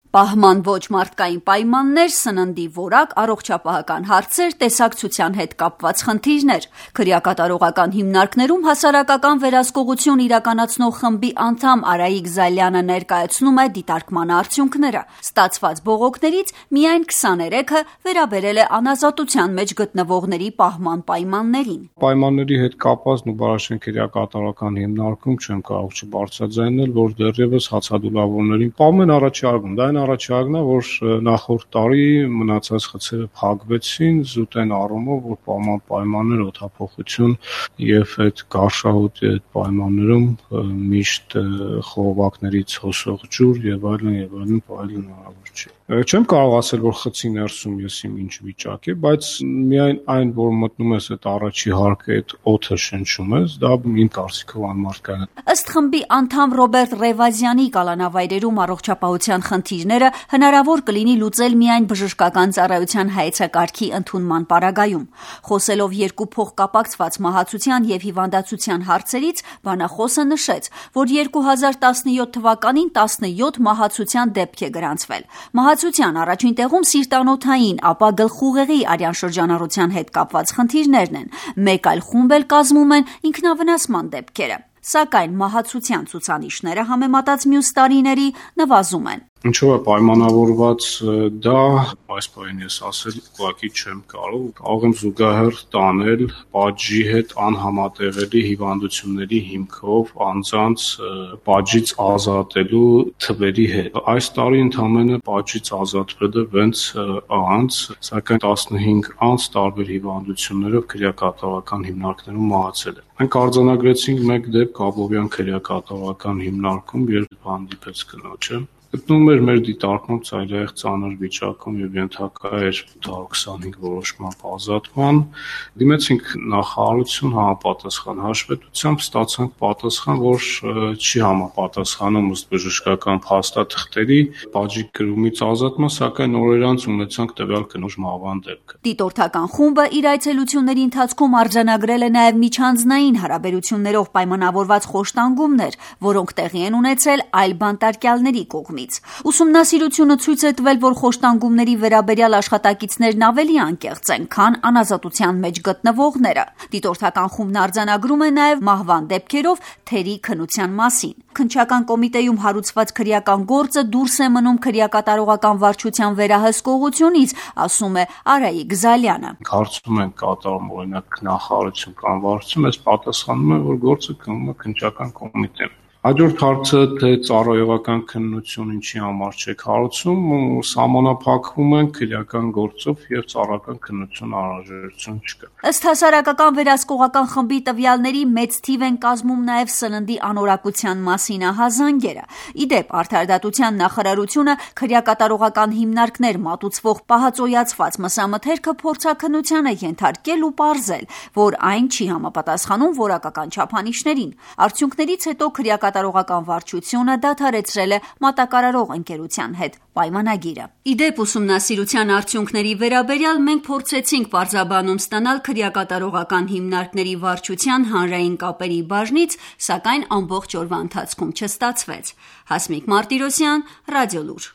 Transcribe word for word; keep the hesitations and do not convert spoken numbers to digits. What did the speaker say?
Պահման ոչ մարդկային պայմաններ, սննդի որակ, առողջապահական հարցեր, տեսակցության հետ կապված խնդիրներ։ Քրեակատարողական հիմնարկներում հասարակական վերահսկողություն իրականացնող խմբի անդամ Արայիկ Զալյանը ներկայացնում է դիտարկման արդյունքները։ Ստացված բողոքներից միայն քսաներեքը վերաբերել է անազատության մեջ գտնվողների պահման պայմաններին։ Պայմանների հետ կապված Նուբարաշեն քրեակատարողական հիմնարկում չեմ կարող չբարձրաձայնել, որ դեռևս հացադուլավորներին պահում են առաջարկում։ Դա առաջարկն է, որ նախորդ տարի մնացած խցերը փակվեցին զուտեն առումով, որ պայման պայմաններ օդափոխություն եւ այդ գարշահոտի այդ պայմաններում միշտ խողովակներից հոսող ջուր եւ այլն եւ այլն այլն հնարավոր չէ։ Չեմ կարող ասել, որ խցի ներսում ես իմ ինչ վիճակ է, բայց միայն այն, որ մտնում ես այդ առաջի հարկը, այդ օդը շնչում ես, դա իմ կարծիքով անմարդկային է։ Ըստ խմբի անդամ Ռոբերտ Ռևազյանի կալանավայրերում առողջապահության խնդիրները հնարավոր կլինի լուծել միայն բժշկական ծառայության հայեցակարգի ընդունման պարագայում։ Խոսելով երկու փոխկապակցված մահացության եւ հիվանդացության հարցերից, բանախոսը նշեց, որ երկու հազար տասնյոթ թվականին տասնյոթ մահացության դեպք է գրանցվել։ Մահացության առաջին տեղում սիրտանոթային, ապա գլխուղեղի արյան շրջանառության հետ կապված խնդիրներն են։ Մեկ այլ խումբ էլ կազմում են ինքնավնասման դեպքերը։ Սակայն մահացության ցուցանիշները համեմատած մյուս տարիների նվազում են։ Ինչով է պայմանավորված դա, այս բանին ես ասել ուղղակի չեմ կարող, կարող եմ զուգահեռ տանել պատժի հետ անհամատեղելի հիվանդությունների հիմքով անձանց պատժից ազատելու թվերի հետ։ Այս տարի ընդամենը պատժից ազատվել է վեց անձ, սակայն տասնհինգ անձ տարբեր հիվանդություններով քրեակատարողական հիմնարկներում մահացել է։ Մենք արձանագրեցինք մեկ դեպք Աբովյան քրեակատարողական հիմնարկում, երբ հանդիպեց կնոջը։ Գտնվում էր մեր դիտարկում ծայրահեղ ծանր վիճակում եւ ենթակա էր ութ որոշման ազատման։ Դիմեցինք նախարարություն համապատասխան հաշվետվությամբ, ստացանք պատասխան, որ չի համապատասխանում ըստ բժշկական փաստաթղթերի պատժի կրումից ազատման, սակայն օրեր անց ունեցանք տվյալ կնոջ մահվան դեպքը։ Դիտորդական խումբը իր այցելությունների ընթացքում արձանագրել է նաեւ միջանձնային հարաբերություններով պայմանավորված խոշտանգումներ, որոնք տեղի են ունեցել այլ բանտարկյալների կողմից։ Ուսումնասիրությունը ցույց է տվել, որ խոշտանգումների վերաբերյալ աշխատակիցներն ավելի անկեղծ են, քան անազատության մեջ գտնվողները։ Դիտորդական խումբն արձանագրում է նաև մահվան դեպքերով թերի քննության մասին։ Քննչական կոմիտեում հարուցված քրեական գործը դուրս է մնում քրեակատարողական վարչության վերահսկողությունից, ասում է Արայիկ Զալյանը։ Հարցում են կատարում օրինակ նախարարություն կամ վարչություն, ես պատասխանում եմ, որ գործը գնում է քննչական կոմիտեում։ Հաջորդ հարցը թե ծառայողական քննություն ինչի համար չեք հարուցում, սահմանափակվում են քրեական գործով եւ ծառայական քննություն անհրաժեշտություն չկա։ Ըստ հասարակական վերահսկողական խմբի տվյալների մեծ թիվ են կազմում նաեւ սննդի անորակության մասին ահազանգերը։ Իդեպ արդարադատության նախարարությունը քրեակատարողական հիմնարկներ մատուցվող պահածոյացված մսամթերքը փորձաքննության է ենթարկել ու պարզել, որ այն չի համապատասխանում որակական չափանիշներին։ Արդյունքներից հետո քրեակատարողական վարչությունը դադարեցրել է մատակարարող ընկերության հետ պայմանագիրը։ Իդեպ ուսումնասիրության արդյունքների վերաբերյալ մենք փորձեցինք պարզաբանում ստանալ քրեակատարողական հիմնարկների վարչության հանրային կապերի բաժնից, սակայն ամբողջ օրվա ընթացքում չստացվեց։ Հասմիկ Մարտիրոսյան, Ռադիոլուր։